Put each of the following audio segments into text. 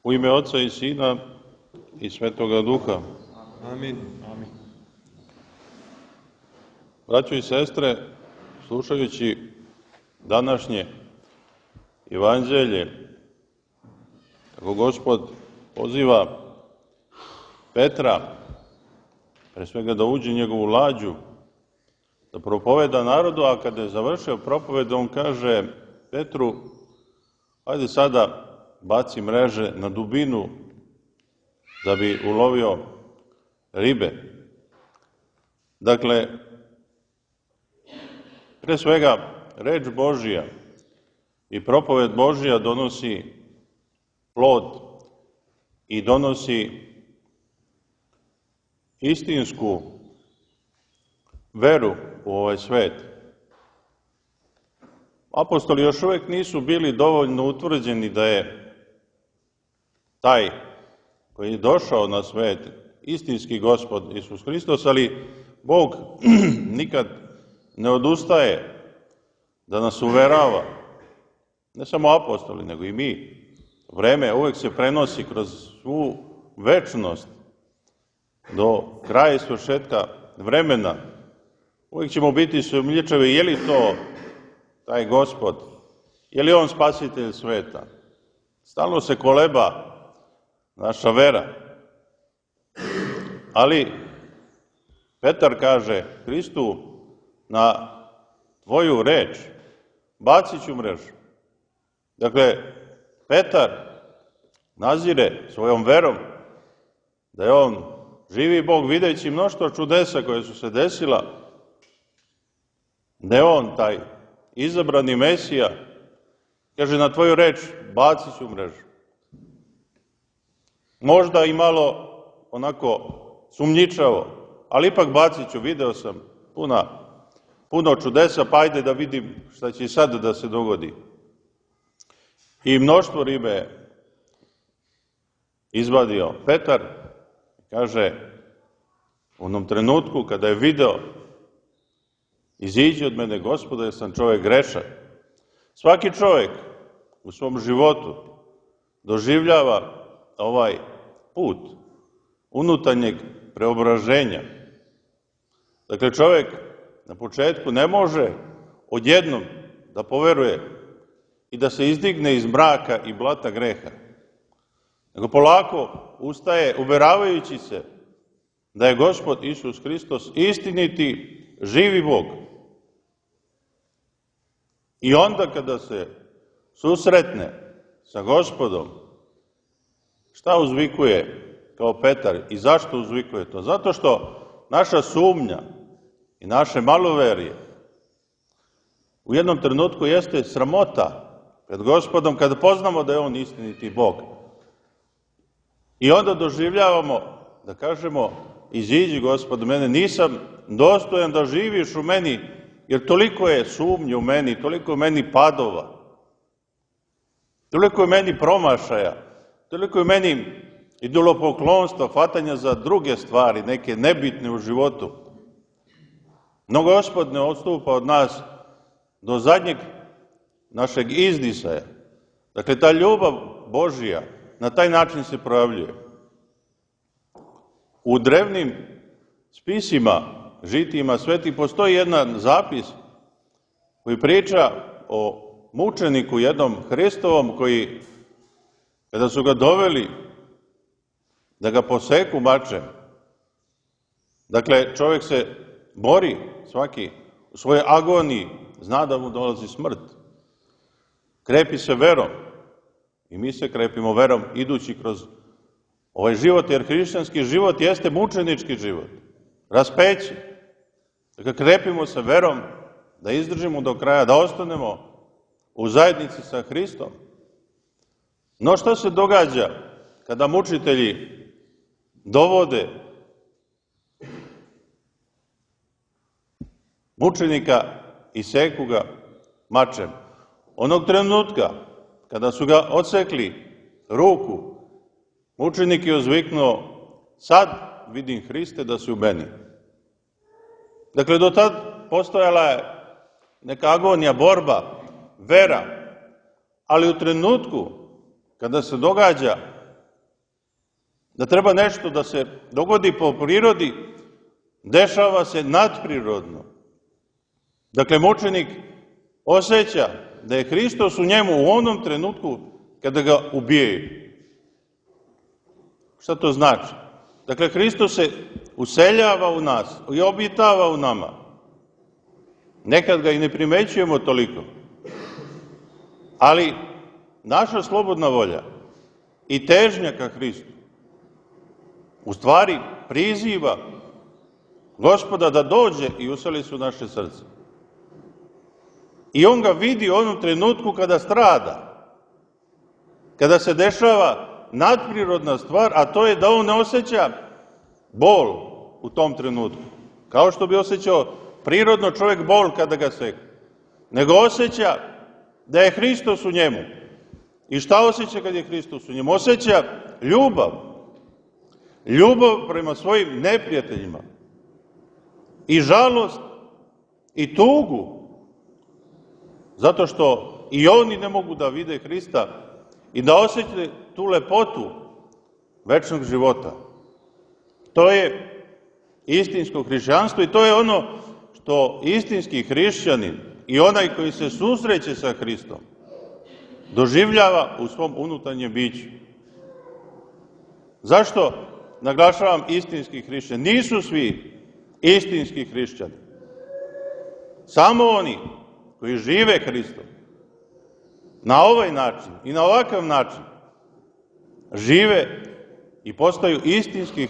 U ime Oca i Sina i Svetoga Duha. Amin. Amin. Braćo i sestre, slušajući današnje evanđelje, kako Gospod poziva Petra, pre svega da uđe u njegovu lađu, da propoveda narodu, a kada je završio propoved, on kaže Petru, ajde sada baci mreže na dubinu da bi ulovio ribe. Dakle, pre svega, reč Božija i propoved Božija donosi plod i donosi istinsku veru u ovaj svet. Apostoli još uvek nisu bili dovoljno utvrđeni da je taj koji je došao na svet istinski Gospod Isus Hristos, ali Bog nikad ne odustaje da nas uverava, ne samo apostoli, nego i mi. Vreme uvek se prenosi kroz svu večnost do kraja i svršetka vremena. Uvijek ćemo biti sumnjičavi, je li to taj Gospod, je li on spasitelj sveta. Stalno se koleba naša vera. Ali Petar kaže Hristu, na tvoju reč bacit ću mrežu. Dakle, Petar nazire svojom verom da je on živi Bog, videći mnoštvo čudesa koje su se desila, da je on taj izabrani Mesija, kaže na tvoju reč bacit ću mrežu. Možda i malo onako sumnjičavo, ali ipak bacit ću, video sam puno čudesa, pa ajde da vidim šta će sad da se dogodi. I mnoštvo ribe izvadio Petar, kaže, u onom trenutku kada je video, iziđi od mene, Gospode, jer sam čovjek grešan. Svaki čovjek u svom životu doživljava ovaj put unutarnjeg preobraženja. Dakle, čovjek na početku ne može odjednom da poveruje i da se izdigne iz mraka i blata greha, nego polako ustaje uveravajući se da je Gospod Isus Hristos istiniti, živi Bog. I onda kada se susretne sa Gospodom, šta uzvikuje kao Petar i zašto uzvikuje to? Zato što naša sumnja i naše maloverje u jednom trenutku jeste sramota pred Gospodom kada poznamo da je on istiniti Bog. I onda doživljavamo da kažemo, iziđi Gospod mene, nisam dostojan da živiš u meni, jer toliko je sumnje u meni, toliko je meni padova, toliko je meni promašaja, toliko je meni idolopoklonstva, hvatanja za druge stvari, neke nebitne u životu. No Gospod ne odstupa od nas do zadnjeg našeg izdisaja. Dakle, ta ljubav Božija na taj način se projavljuje. U drevnim spisima, žitijima svetih, postoji jedan zapis koji priča o mučeniku jednom Hristovom koji, kada su ga doveli da ga poseku mačem, dakle, čovjek se bori svaki u svojoj agoniji, zna da mu dolazi smrt. Krepi se verom i mi se krepimo verom idući kroz ovaj život, jer hrišćanski život jeste mučenički život, raspeće. Dakle, krepimo se verom da izdržimo do kraja, da ostanemo u zajednici sa Hristom. No što se događa kada mučitelji dovode mučenika i seku ga mačem? Onog trenutka kada su ga odsekli ruku, mučenik je uzviknuo, sad vidim Hriste da si u meni. Dakle, do tad postojala je neka agonija, borba, vera, ali u trenutku kada se događa da treba nešto da se dogodi po prirodi, dešava se nadprirodno. Dakle, mučenik osjeća da je Hristos u njemu u onom trenutku kada ga ubijaju. Šta to znači? Dakle, Hristos se useljava u nas i obitava u nama. Nekad ga i ne primećujemo toliko. Ali naša slobodna volja i težnja ka Hristu u stvari priziva Gospoda da dođe i useli se u naše srce. I on ga vidi u onom trenutku kada strada, kada se dešava nadprirodna stvar, a to je da on ne osjeća bol u tom trenutku, kao što bi osjećao prirodno čovjek bol kada ga seka, nego osjeća da je Hristos u njemu. I šta osjeća kad je Hristos u njemu? Osjeća ljubav. Ljubav prema svojim neprijateljima. I žalost i tugu. Zato što i oni ne mogu da vide Hrista i da osjete tu lepotu večnog života. To je istinsko hrišćanstvo i to je ono što istinski hrišćanin i onaj koji se susreće sa Hristom doživljava u svom unutarnjem biću. Zašto naglašavam istinski hrišćani? Nisu svi istinski hrišćani. Samo oni koji žive Hristom na ovaj način i na ovakav način žive i postaju istinski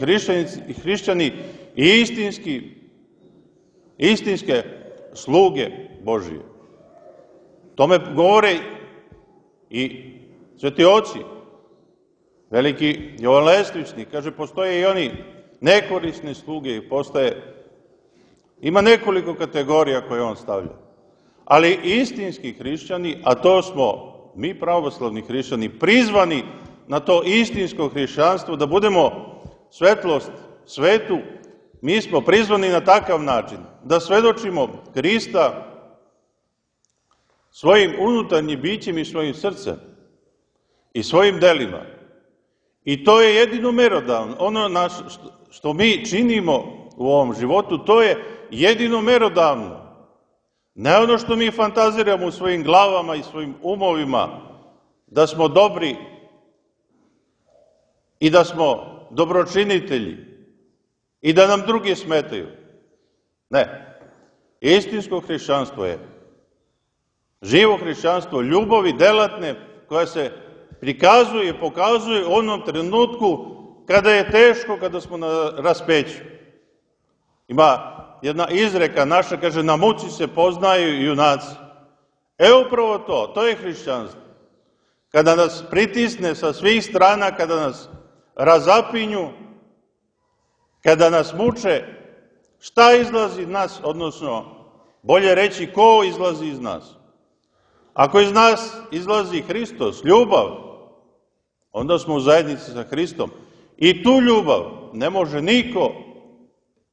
hrišćani i istinske sluge Božije. Tome govore i sveti oci, veliki Jovan Lestvičnik, kaže, postoje i oni nekorisne sluge i ima nekoliko kategorija koje on stavlja. Ali istinski hrišćani, a to smo mi pravoslavni hrišćani, prizvani na to istinsko hrišćanstvo, da budemo svetlost svetu, mi smo prizvani na takav način, da svedočimo Hrista svojim unutarnjim bićem i svojim srcem i svojim delima. I to je jedino merodavno. Ono što mi činimo u ovom životu, to je jedino merodavno. Ne ono što mi fantaziramo u svojim glavama i svojim umovima, da smo dobri i da smo dobročinitelji i da nam drugi smetaju. Ne. Istinsko hrišćanstvo je živo hrišćanstvo ljubavi delatne koja se prikazuje, pokazuje u onom trenutku kada je teško, kada smo na raspeću. Ima jedna izreka naša, kaže, na muci se poznaju junaci. Upravo to je hrišćanstvo. Kada nas pritisne sa svih strana, kada nas razapinju, kada nas muče, šta izlazi iz nas, odnosno, bolje reći, ko izlazi iz nas? Ako iz nas izlazi Hristos, ljubav, onda smo u zajednici sa Hristom. I tu ljubav ne može niko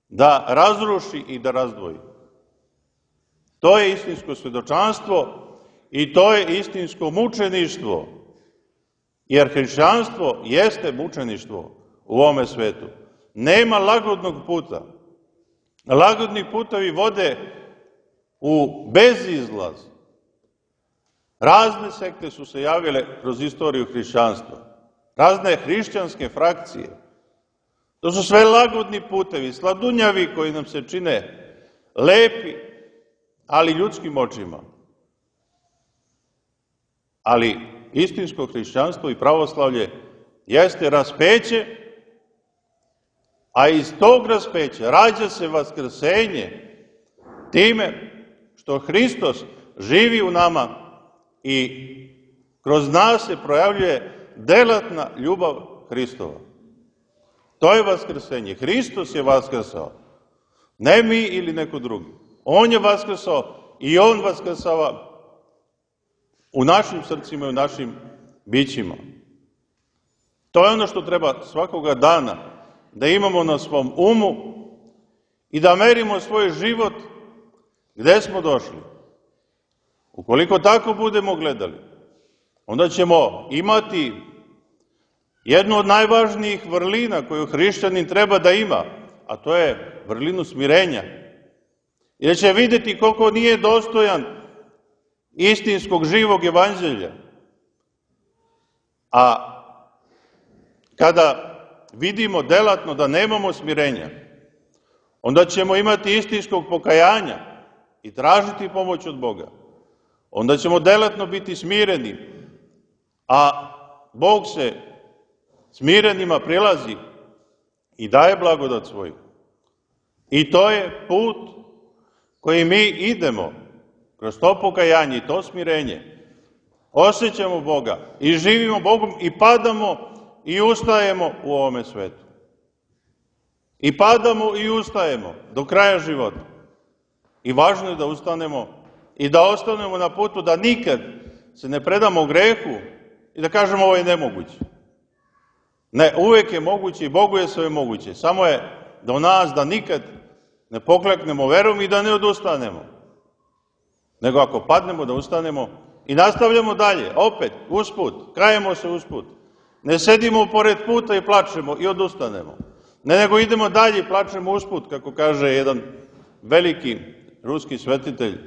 da razruši i da razdvoji. To je istinsko svedočanstvo i to je istinsko mučeništvo. Jer hrišćanstvo jeste mučeništvo u ovome svetu. Nema lagodnog puta. Lagodni putovi vode u bezizlaz. Razne sekte su se javile kroz istoriju hrišćanstva. Razne hrišćanske frakcije. To su sve lagodni putevi, sladunjavi koji nam se čine lepi, ali ljudskim očima. Ali istinsko hrišćanstvo i pravoslavlje jeste raspeće, a iz tog raspeća rađa se vaskrsenje time što Hristos živi u nama i kroz nas se projavljuje delatna ljubav Hristova. To je vaskrsenje. Hristos je vaskrsao. Ne mi ili neko drugi. On je vaskrsao i on vaskrsava u našim srcima i u našim bićima. To je ono što treba svakoga dana da imamo na svom umu i da merimo svoj život gde smo došli. Ukoliko tako budemo gledali, onda ćemo imati jednu od najvažnijih vrlina koju hrišćanin treba da ima, a to je vrlinu smirenja. Jer će vidjeti koliko nije dostojan istinskog živog evanđelja. A kada vidimo delatno da nemamo smirenja, onda ćemo imati istinskog pokajanja i tražiti pomoć od Boga. Onda ćemo delatno biti smireni, a Bog se smirenima prilazi i daje blagodat svoju. I to je put koji mi idemo kroz to pokajanje i to smirenje. Osjećamo Boga i živimo Bogom i padamo i ustajemo u ovome svetu. I padamo i ustajemo do kraja života. I važno je da ustanemo i da ostanemo na putu, da nikad se ne predamo grehu i da kažemo ovo je nemoguće. Ne, uvek je moguće i Bogu je sve moguće. Samo je do nas da nikad ne pokleknemo verom i da ne odustanemo. Nego ako padnemo da ustanemo i nastavljamo dalje, opet, usput, kajemo se usput. Ne sedimo pored puta i plačemo i odustanemo. Ne, nego idemo dalje i plačemo usput, kako kaže jedan veliki ruski svetitelj.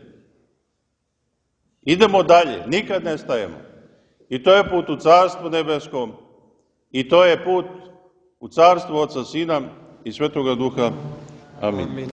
Idemo dalje, nikad ne stajemo. I to je put u Carstvo nebesko, i to je put u Carstvo Oca, Sina i Svetoga Duha. Amin.